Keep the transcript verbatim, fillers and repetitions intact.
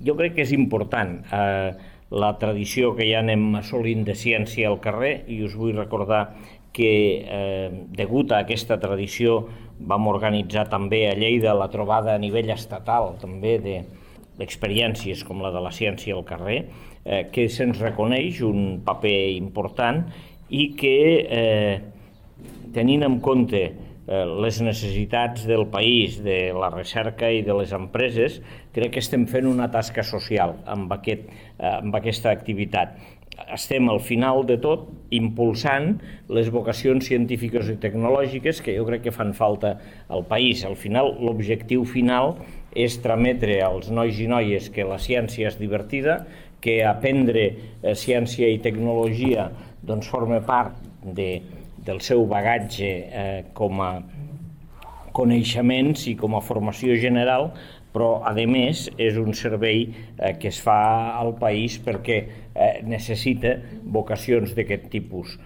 jo crec que és important la tradició que ja anem assolint de ciència al carrer, i us vull recordar que, degut a aquesta tradició, vam organitzar també a Lleida la trobada a nivell estatal també d'experiències com la de la ciència al carrer, que se'ns reconeix un paper important i que, tenint en compte les necessitats del país, de la recerca i de les empreses, crec que estem fent una tasca social amb, aquest, amb aquesta activitat. Estem al final de tot impulsant les vocacions científiques i tecnològiques que jo crec que fan falta al país. Al final, l'objectiu final és trametre als nois i noies que la ciència és divertida, que aprendre ciència i tecnologia doncs, forma part de, del seu bagatge eh, com a coneixements i com a formació general, però, a més, és un servei eh, que es fa al país perquè eh, necessita vocacions d'aquest tipus.